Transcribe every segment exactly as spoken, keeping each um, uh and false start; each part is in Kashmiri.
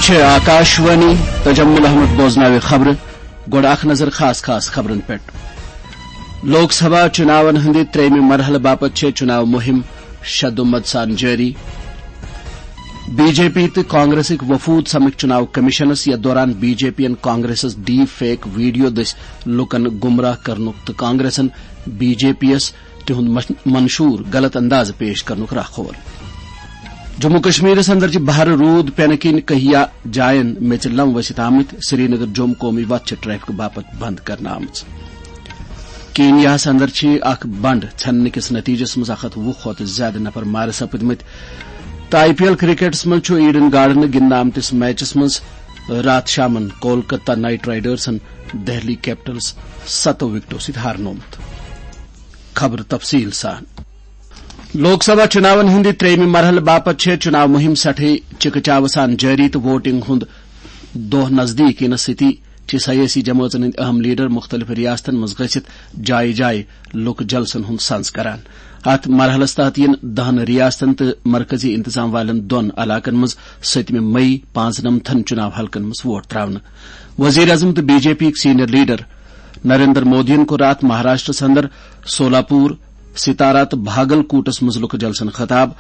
چھِ آکاشوانی، تجمل احمد بوزناوِ خبرٕ۔ گۄڈٕ اکھ نظر خاص خاص خبرن پٮ۪ٹھ۔ لوک سبھا چُناون ہٕنٛدِ ترٛیٚیمہِ مرحلہٕ باپتھ چھےٚ چُناو مُہِم شدومت سان جٲری۔ بی جے پی تہٕ کانگریسٕکۍ وفود سمکھ چُناو کمیشنس، یتھ دوران بی جے پی ین کانگریسس ڈیپ فیک ویڈیو دٔسۍ لوٗکن گمراہ کرنُک تہٕ کانگریسن بی جے پی یس تِہُنٛد مش-، منشور غلط اندازٕ پیش کرنُک راہ کھول۔ جموں کشمیرس اندر چھِ بھر روٗد پینہٕ کِنۍ کہیا جاین میژِ لم ؤسِتھ آمٕتۍ۔ سرینگر جوٚم قومی وتھ چھِ ٹریفک باپتھ بند کرنہٕ آمٕژ۔ کینیاہس اندر چھِ اکھ بنڈ ژھٮ۪ننہٕ کِس نتیجس منٛز اکھ ہتھ وُہ کھۄتہٕ زیادٕ نفر مارٕ سپٕدمٕتۍ۔ تہٕ آئی پی ایل کرکٹس منٛز چھُ ایڈن گارڈنہٕ گِنٛدنہٕ آمتِس میچس منٛز راتھ شامن کولکتہ نائٹ رائیڈرسن دہلی کیپٹلس ستو وکٹو سۭتۍ ہارنومُت۔ خبر تفصیل سان۔ لوک سبھا چُناون ہٕنٛدِ ترٛیٚیمہِ مرحلہٕ باپتھ چھےٚ چُناو مُہِم سٮ۪ٹھٕے چِکہٕ چاوٕ سان جٲری تہٕ ووٹنگ ہُنٛد دۄہ نزدیٖک یِنس سۭتی چھِ سیٲسی جمٲژن ہٕنٛدۍ اہم لیڈر مُختٔلِف ریاستن منٛز گٔژھِتھ جایہِ جایہِ لُکہٕ جلسن ہُنٛد سنز کران۔ اتھ مرحلس تحت یِن دہن ریاستن تہٕ مرکزی انتظام والٮ۪ن دۄن علاقن منٛز ستمہِ مئی پانٛژنمتھن چُناو حلقن منٛز ووٹ تراونہٕ۔ وزیر اعظم تہٕ بی جے پی یِکۍ سینئر لیڈر نریندر مودیَن کوٚر راتھ مہاراشٹرس اندر سولاپور، ستارا تہٕ بھاگل کوٹس منٛز لُکہٕ جلسن خطاب۔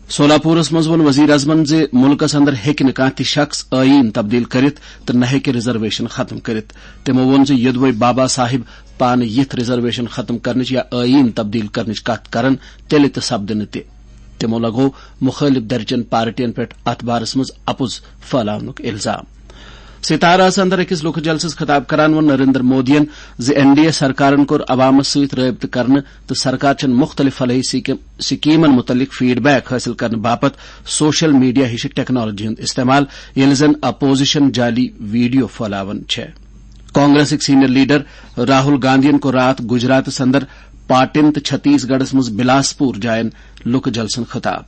سولاپورس منٛز ووٚن وزیر اعظمن زِ مُلکس اندر ہیٚکہِ نہٕ کانٛہہ تہِ شخص ٲییٖن تبدیل کٔرِتھ تہٕ نہ ہیٚکہِ ریزرویشن ختم کٔرِتھ۔ تِمو ووٚن زِ یوٚدوَے بابا صاحب پانہٕ یِتھ ریزرویشن ختم کرنٕچ یا ٲییٖن تبدیل کرنٕچ کتھ کرن، تیٚلہِ تہِ سپدِ نہٕ تہِ۔ تِمو لگوو مُخٲلِف دھرچٮ۪ن پارٹین پٮ۪ٹھ اتھ بارس منٛز اپُز پھٔہلاونُک الزام۔ ستاراہس اندر أکِس لُکہٕ جلسس خطاب کران ووٚن نریندر مودیَن زِ این ڈی اے سرکارن کوٚر عوامس سۭتۍ رٲبطہٕ کرنہٕ تہٕ سرکار چھَن مُختٔلِف فلاحی سکیٖم-، سکیٖمن مُتعلق فیڈ بیک حٲصِل کرنہٕ باپتھ سوشل میڈیا ہِشہِ ٹیکنالوجی ہُنٛد استعمال، ییٚلہِ زن اپوزیشن جعلی ویڈیو پھٔہلاوان چھےٚ۔ کانگریسٕکۍ سینئر لیڈر راہل گاندھین کوٚر راتھ گجراتس اندر پاٹن تہٕ چھتیس گڑھس منٛز بلاسپور جاین لُکہٕ جلسن خطاب۔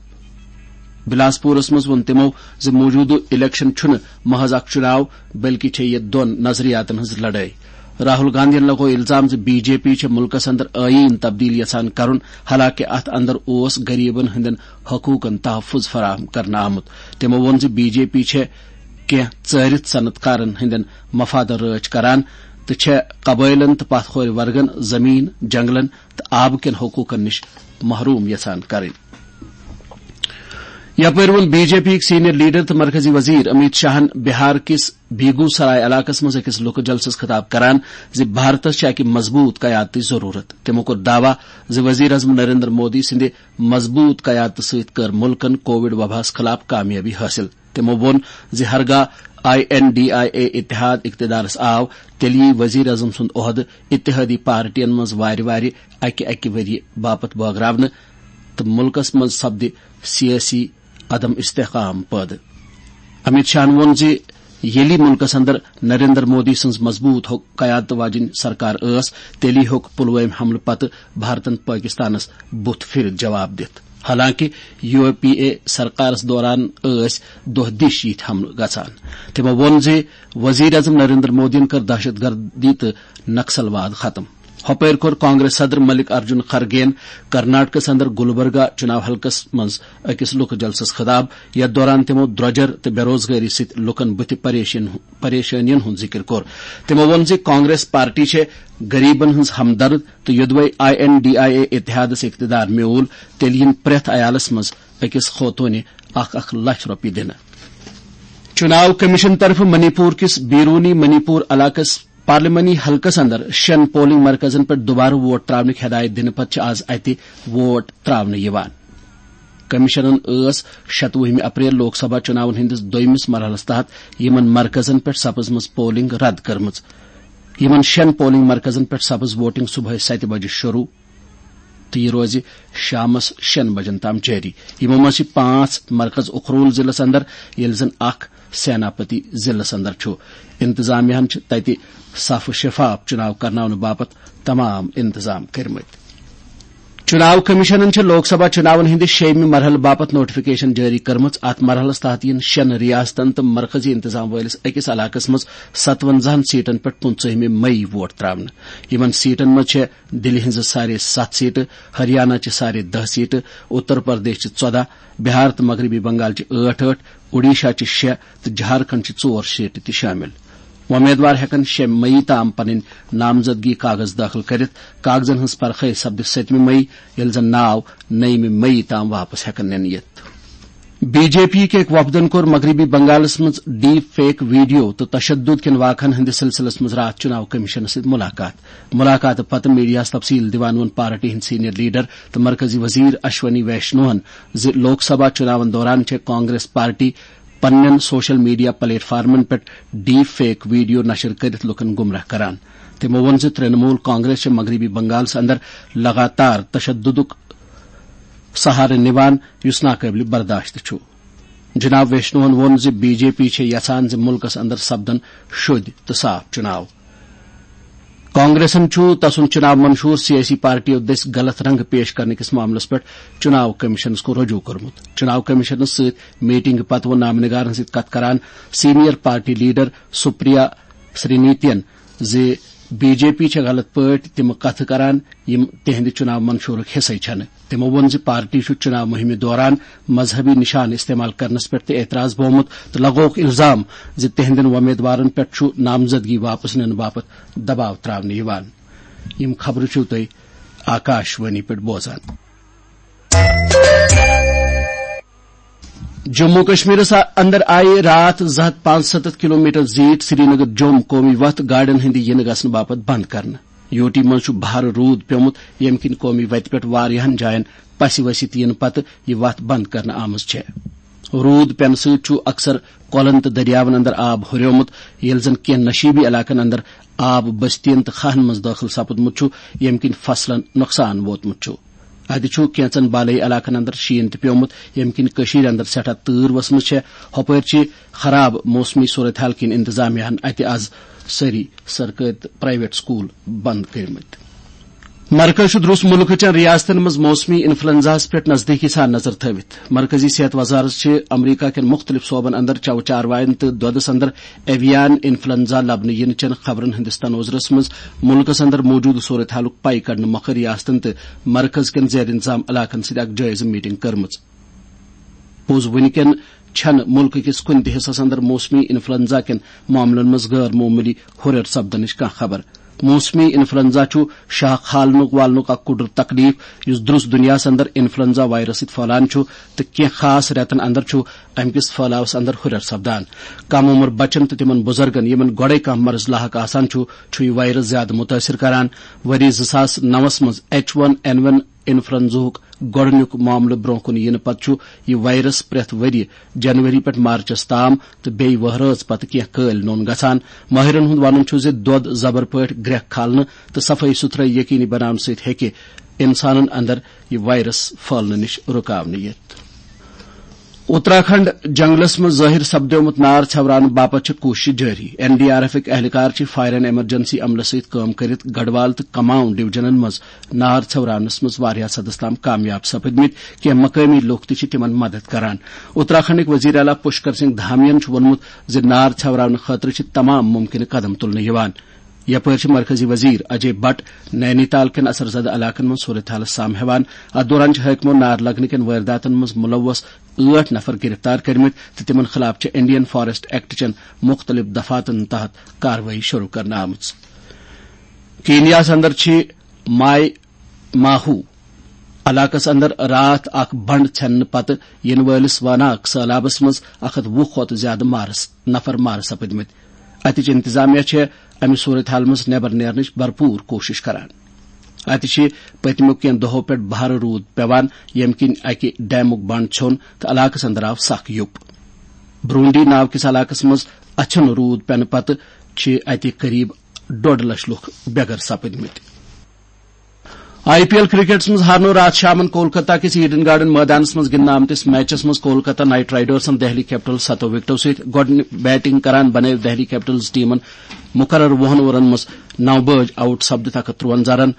بلاسپورس منٛز ووٚن تِمو زِ موجودٕ الیکشن چھُنہٕ محض اکھ چُناو، بلکہِ چھےٚ یہِ دۄن نظریاتن ہٕنٛز لڑٲے۔ راہل گاندھین لگوو الزام زِ بی جے پی چھےٚ مُلکس اندر ٲییٖن تبدیل یژھان کرُن، حالانکہِ اتھ اندر اوس غریبن ہٕنٛدٮ۪ن حقوٗقن تحفظ فراہم کرنہٕ آمُت۔ تِمو ووٚن زِ بی جے پی چھےٚ کینٛہہ ژٲرِتھ صنعت کارن ہٕنٛدٮ۪ن مفادن رٲچھ کران تہٕ چھےٚ قبٲیلن تہٕ پتھ کھورِ ورگن زمین، جنگلن تہٕ آبہٕ کٮ۪ن حقوٗقن نِش محروم یژھان کرٕنۍ۔ یپٲرۍ ووٚن بی جے پی یِکۍ سینئر لیڈر تہٕ مرکزی وزیر امیت شاہن بہار کِس بیگو سرائے علاقس منٛز أکِس لُکہٕ جلسس خطاب کران زِ بھارتس چھِ اکہِ مضبوٗط قیادتٕچ ضروٗرت۔ تِمو کوٚر دعویٰ زِ وزیر اعظم نریندر مودی سٕنٛدِ مضبوٗط قیادتہٕ سۭتۍ کٔر مُلکن کووڈ وباہس خلاف کامیٲبی حٲصِل۔ تِمو ووٚن زِ ہرگاہ I N D I A اتحاد اقتدارس آو، تیٚلہِ یِیہِ وزیر اعظم سُنٛد عہدٕ اتحادی پارٹین منٛز وارِ وارِ اکہِ اکہِ ؤرۍ یہِ باپتھ بٲگراونہٕ تہٕ مُلکس منٛز سپدِ سیٲسی عدم استحکام پٲدٕ۔ امیت شاہن ووٚن زِ ییٚلہِ مُلکس اندر نریندر مودی سٕنٛز مضبوٗط حُک-، قیادت واجیٚنۍ سرکار ٲس، تیٚلی ہیوٚک پلوٲمۍ حملہٕ پتہٕ بھارتن پٲکستانس بُتھ پھِرِتھ جواب دِتھ۔ حالانکہِ یو پی اے سرکارس دوران ٲسۍ دۄہ دِش یِتھۍ حملہٕ گژھان۔ تِمو ووٚن زِ وزیر اعظم نریندر مودیَن کٔر دہشت گردی تہٕ نکسل واد ختم۔ ہۄپٲرۍ کوٚر کانگریس صدر ملک ارجن خرگین کرناٹکس اندر گلبرگہ چُناو حلقس منٛز أکِس لُکہٕ جلسس خطاب، یتھ دوران تِمو درۄجر تہٕ بے روزگٲری سۭتۍ لُکن بُتھِ پریشین-، پریشٲنین ہُنٛد ذِکر کوٚر۔ تِمو ووٚن زِ کانگریس پارٹی چھےٚ غریبن ہٕنٛز ہمدرد تہٕ یوٚدوَے I N D I A اتحادس اقتدار میوٗل، تیٚلہِ یِن پرٛٮ۪تھ عیالس منٛز أکِس خوتوٗنہِ اکھ اکھ لچھ رۄپیہِ دِنہٕ۔ چُناو کمیشن طرفہٕ منی پور کِس بیرونی منی پور علاقس پارلیمانی حلقس اندر شٮ۪ن پولنگ مرکزن پٮ۪ٹھ دوبارٕ ووٹ تراونٕکۍ ہدایت دِنہٕ پتہٕ چھِ آز اتہِ ووٹ تراونہٕ یِوان۔ کمیشنن ٲس شتوُہمہِ اپریل لوک سبھا چُناون ہٕنٛدِس دوٚیمِس مرحلس تحت یِمن مرکزن پٮ۪ٹھ سپٕزمٕژ پولنگ رد کٔرمٕژ۔ یِمن شٮ۪ن پولنگ مرکزن پٮ۪ٹھ سپٕز ووٹنگ صبحٲے ستہِ بجہِ شروع تہٕ یہِ روزِ شامس شٮ۪ن بجن تام جٲری۔ یِمو منٛز چھِ پانٛژھ مرکز اُخرول ضلعس اندر، ییٚلہِ زن اکھ سیناپتی ضلعس اندر چھُ۔ انتظامیہ ہن چھِ تتہِ صاف و شفاف چُناو کرناونہٕ باپتھ تمام انتظام کٔرمٕتۍ۔ چناو کمیشنن چھِ لوک سبھا چناون ہٕنٛدِ شیٚیمہِ مرحلہٕ باپتھ نوٹیفکیشن جٲری کٔرمٕژ۔ اتھ مرحلس تحت یِن شٮ۪ن ریاستن تہٕ مرکزی انتظام وٲلِس أکِس علاقس منٛز ستونزاہن سیٹن پٮ۪ٹھ پٕنٛژٕہمہِ مئی ووٹ تراونہٕ۔ یِمن سیٹن منٛز چھےٚ دِلہِ ہٕنٛزٕ سارے ستھ سیٹہٕ، ہریانہ چہِ سارے دہ سیٹہٕ، اتر پردیش چہِ ژۄدہ، بہار تہٕ مغربی بنگال چہِ ٲٹھ ٲٹھ، اوڈیشہ چہِ شےٚ تہٕ جھارکھنڈ چہِ ژور سیٹہٕ تہِ شٲمِل۔ وۄمیدوار ہٮ۪کن شےٚ مئی تام پنٕنۍ نامزدگی کاغذ دٲخل کٔرِتھ۔ کاغذن ہٕنٛز پرخٲے سپدِ سٔتمہِ مئی، ییٚلہِ زن ناو نٔیمہِ مئی تام واپس ہٮ۪کن نِنہٕ یِتھ۔ بی جے پی کہِ أکۍ وفدن کوٚر مغربی بنگالس منٛز ڈیپ فیک ویڈیو تہٕ تشدد کٮ۪ن واقعن ہٕنٛدِس سلسلس منٛز راتھ چناو کمیشنس سۭتۍ ملاقات۔ ملاقاتہٕ پتہٕ میڈیاہس تفصیل دِوان ووٚن پارٹی ہٕنٛدۍ سینئر لیڈر تہٕ مرکزی وزیر اشونی ویشنوہن زِ لوک سبھا چناون دوران چھےٚ کانگریس پارٹی پننٮ۪ن سوشل میڈیا پلیٹ فارمن پٮ۪ٹھ ڈیپ فیک ویڈیو نشر کٔرِتھ لوٗکن گمراہ کران۔ تِمو ووٚن زِ ترٛنمول کانگریس چھےٚ مغربی بنگالس اندر لگاتار تشددُک سہارٕ نِوان، یُس ناقٲبلِ برداشت چھُ۔ جناب ویشنوہن ووٚن زِ بی جے پی چھےٚ یژھان زِ مُلکس اندر سپدن شوٚدۍ تہٕ صاف چُناو۔ کانگریسن چھُ تسُنٛد چُناو منشور سیٲسی پارٹیو دٔسۍ غلط رنگ پیش کرنہٕ کِس معاملس پٮ۪ٹھ چُناو کمیشنس کُن رجوع کوٚرمُت۔ چُناو کمیشنس سۭتۍ میٹنگ پتہٕ ووٚن نامہ نگارن سۭتۍ کتھ کران سینئر پارٹی لیڈر سپریا سرینیتین زِ بی جے پی چھےٚ غلط پٲٹھۍ تِم کتھٕ کران، یِم تِہنٛدِ چُناو منشورُک حصے چھنہٕ۔ تِمو ووٚن زِ پارٹی چھُ چُناو مُہِمہِ دوران مذہبی نشانہٕ استعمال کرنس پٮ۪ٹھ تہِ اعتراض بومُت تہٕ لگووُکھ الزام زِ تِہنٛدٮ۪ن وۄمیدوارن پٮ۪ٹھ چھُ نامزدگی واپس نِنہٕ باپتھ دباو تراونہٕ یِوان۔ یِم خبرٕ چھِو تُہۍ آکاش وانی پٮ۪ٹھ بوزان۔ جموں کشمیرس اندر آیہِ راتھ زٕ ہتھ پانٛژھ ستتھ کلومیٹر زیٖٹھ سرینگر جوٚم قومی وتھ گاڑٮ۪ن ہٕنٛدِ یِنہٕ گژھنہٕ باپتھ بند کرنہٕ۔ یوٗ ٹی منٛز چھُ بھارٕ روٗد پیوٚمُت، ییٚمہِ کِنۍ قومی وتہِ پٮ۪ٹھ واریاہن جاین پسہِ ؤسِتھ یِنہٕ پتہٕ یہِ وتھ بند کرنہٕ آمٕژ چھےٚ۔ روٗد پینہٕ سۭتۍ چھُ اکثر کۄلن تہٕ دٔریاون اندر آب ہُریومُت، ییٚلہِ زن کینٛہہ نشیبی علاقن اندر آب بستین تہٕ کھاہن منٛز دٲخل سپُدمُت چھُ، ییٚمہِ کِنۍ فصلن نۄقصان ووتمُت چھُ۔ اتہِ چھُ کینٛژن بالٲیی علاقن اندر شیٖن تہِ پیومُت، ییٚمہِ کِنۍ کٔشیٖرِ اندر سٮ۪ٹھاہ تۭر ؤژھمٕژ چھےٚ۔ ہۄپٲرۍ چھِ خراب موسمی صورتحال کِنۍ انتظامیہ ہن اتہِ از سٲری سرکٲرۍ تہٕ پرائیویٹ سکول بند کٔرمٕتۍ۔ مرکز چھُ درُس مُلکہٕ چٮ۪ن ریاستن منٛز موسمی انفلوئنزاہس پٮ۪ٹھ نزدیٖکی سان نظر تھٲوِتھ۔ مرکزی صحت وزارت چھِ امریکہ کٮ۪ن مُختٔلِف صوبن اندر چَو چاروایَن تہٕ دۄدَس اندر ایویان انفلوئنزا لبنہٕ یِنہٕ چٮ۪ن خبرن ہٕنٛدِس تنوظرس منٛز مُلکَس اندر موجودٕ صورتحالُک پَے کڑنہٕ مۄکھٕ ریاستن تہٕ مرکز کٮ۪ن زیر انتظام علاقن سۭتۍ اکھ جٲیزٕ میٹنگ کٔرمٕژ۔ پوٚز وُنہِ کٮ۪ن چھنہٕ مُلکہٕ کِس کُنہِ تہِ حصس اندر موسمی انفلوئنزا کٮ۪ن معاملن منٛز غٲر معموٗلی ہُرٮ۪ر سپدنٕچ کانٛہہ خبر۔ موسمی انفلوئنزا چھُ شاہ کھالنُک والنُک اکھ کُڈُر تکلیف، یُس درُس دُنیاہس اندر انفلوئنزا وائرس سۭتۍ پھٔہلان چھُ تہٕ کینٛہہ خاص رٮ۪تن اندر چھُ امہِ کِس پھٔہلاوس اندر ہُرٮ۪ر سپدان۔ کم عمر بچن تہٕ تِمن بُزرگن، یِمن گۄڈے کانٛہہ مرض لاحق آسان چھُ، چھُ یہِ وائرس زیادٕ مُتٲثر کران۔ ؤری زٕ ساس نَوَس منٛز ایچ ون این ون انفلوئنزاہُک گۄڈٕنیُک معاملہٕ برٛونٛہہ کُن یِنہٕ پتہٕ چھُ یہِ وائرس پرٛٮ۪تھ ؤرۍ یہِ جنوری پٮ۪ٹھ مارچس تام تہٕ بیٚیہِ وہرٲژ پتہٕ کینٛہہ کٲلۍ نوٚن گژھان۔ مٲہرن ہُنٛد ونُن چھُ زِ دۄد زبر پٲٹھۍ گرٛٮ۪کھ کھالنہٕ تہٕ صفٲیی سُتھرٲیی یقینی بناونہٕ سۭتۍ ہیٚکہِ انسانن اندر یہِ وائرس پھٔہلنہٕ نِش رُکاونہٕ یِتھ۔ اتراکھنڈ جنگلس منٛز ظٲہِر سپدیومُت نار ژھٮ۪وراونہٕ باپتھ چھِ کوٗششہٕ جٲری۔ این ڈی آر ایفٕکۍ اہلکار چھِ فائر اینڈ ایمرجنسی عملس سۭتۍ کٲم کٔرِتھ گڑھوال تہٕ کماؤں ڈویژنن منٛز نار ژھٮ۪وراونس منٛز واریاہس حدس تام کامیاب سپٕدمٕتۍ۔ کینٛہہ مقٲمی لوٗکھ تہِ چھِ تِمن مدد کران۔ اتراکھنڈٕکۍ وزیر اعلیٰ پشکر سنگھ دھامین چھُ ووٚنمُت زِ نار ژھٮ۪وراونہٕ خٲطرٕ چھِ تمام ممکنہٕ قدم تُلنہٕ یِوان۔ یپٲرۍ چھِ مرکزی وزیر اجے بٹ نینی تال کٮ۪ن اثر زدٕ علاقن منٛز صورتحالس سام ہٮ۪وان۔ اتھ دوران چھِ حٲکمو نار لگنہٕ کٮ۪ن وٲرۍداتن منٛز مُلوث ٲٹھ نفر گرفتار کٔرمٕتۍ تہٕ تِمن خلاف چھِ انڈین فاریسٹ ایکٹ چٮ۪ن مُختٔلِف دفعاتن تحت کاروٲیی شروٗع کرنہٕ آمٕژ۔ کینیاہس اندر چھِ ماے ماہو علاقس اندر راتھ اکھ بنڈ ژھٮ۪نہٕ پتہٕ یِنہٕ وٲلِس واناک سٔہلابس منٛز اکھ ہتھ وُہ کھۄتہٕ زیادٕ مارس، نفر مارٕ سپٕدمٕتۍ۔ اتِچ انتظامیہ چھےٚ امہِ صورتحال منٛز نٮ۪بر نیرنٕچ بھرپوٗر کوٗشش کران۔ اتہِ چھِ پٔتمیو کینٛہہ دۄہو پٮ۪ٹھ بھارٕ روٗد پٮ۪وان، ییٚمہِ کِنۍ اکہِ ڈیمُک بنڈ ژھیوٚن تہٕ علاقس اندر آو سخ یُپھ۔ برونڈی ناو کِس علاقس منٛز اچھن روٗد پٮ۪نہٕ پتہٕ چھِ اتہِ قریب ڈۄڈ لچھ لُکھ بے گھر سپٕدمٕتۍ۔ آئی پی ایل کرکٹس منٛز ہارنوو راتھ شامن کولکتہ کِس ایڈن گارڈن مٲدانس منٛز گِنٛدنہٕ آمتِس میچس منٛز کولکتہ نائٹ رائیڈرسن دہلی کیپٹلز ستو وکٹو سۭتۍ۔ گۄڈٕ بیٹنگ کران بنٲوۍ دہلی کیپٹلز ٹیمن مقرر وُہن اوورن منٛز نو بٲج آؤٹ سپدِتھ اکھ ہتھ ترُونزہ رن۔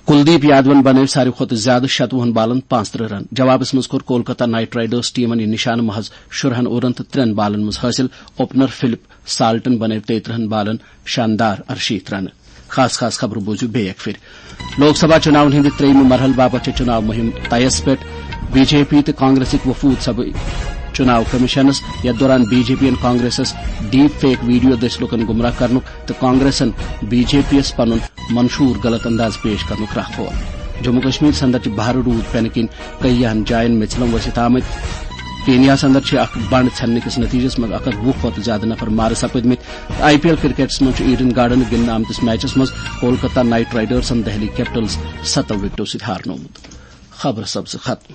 کلدیپ یادون بنٲوۍ ساروی کھۄتہٕ زیادٕ شتوُہن بالن پانٛژترٕٛہ رن۔ جوابس منٛز کوٚر کولکتہ نائٹ رائیڈرز ٹیمن یہِ نشانہٕ محض شُرہن اوورن تہٕ ترٛٮ۪ن بالن منٛز حٲصِل۔ اوپنر فلپ سالٹن بنٲوۍ تیٚیہِ ترٕٛہن بالن شاندار ارشیٖتھ رنہٕ۔ خاص خاص خبرٕ بوٗزِو بیٚیہِ اکہِ پھِرِ۔ لوک سبھا چُناون ہٕنٛدِ ترٛیٚیِمہِ مرحلہٕ باپتھ چھِ چُناو مُہِم طیَس پٮ۪ٹھ۔ بی جے پی تہٕ کانگریسٕکۍ وفود سبہٕ چُناو کمیشنس، یتھ دوران بی جے پی ین کانگریسس ڈیپ فیک ویڈیو دٔسۍ لوٗکن گمراہ کرنُک تہٕ کانگریسن بی جے پی یس پنُن منشور غلط انداز پیش کرنُک راہ کھول۔ جموں کشمیر اندر چھِ بھارٕ روٗد پینہٕ کِنۍ کیٚیاہن جاین میژِلم ؤسِتھ آمٕتۍ۔ کینیاہس اندر چھِ اکھ بنڈ ژھٮ۪نہٕ کِس نتیجس منٛز اکھ ہتھ وُہ کھۄتہٕ زیادٕ نفر مارٕ سپٕدمٕتۍ۔ آئی پی ایل کرکٹس منٛز چھُ ایڈن گارڈنہٕ گِنٛدنہٕ آمتِس میچس منٛز کولکتہ نائٹ رائیڈرزن دہلی کیپٹلز ستو وکٹو سۭتۍ ہارنومُت۔ خبرٕ سپزٕ ختم۔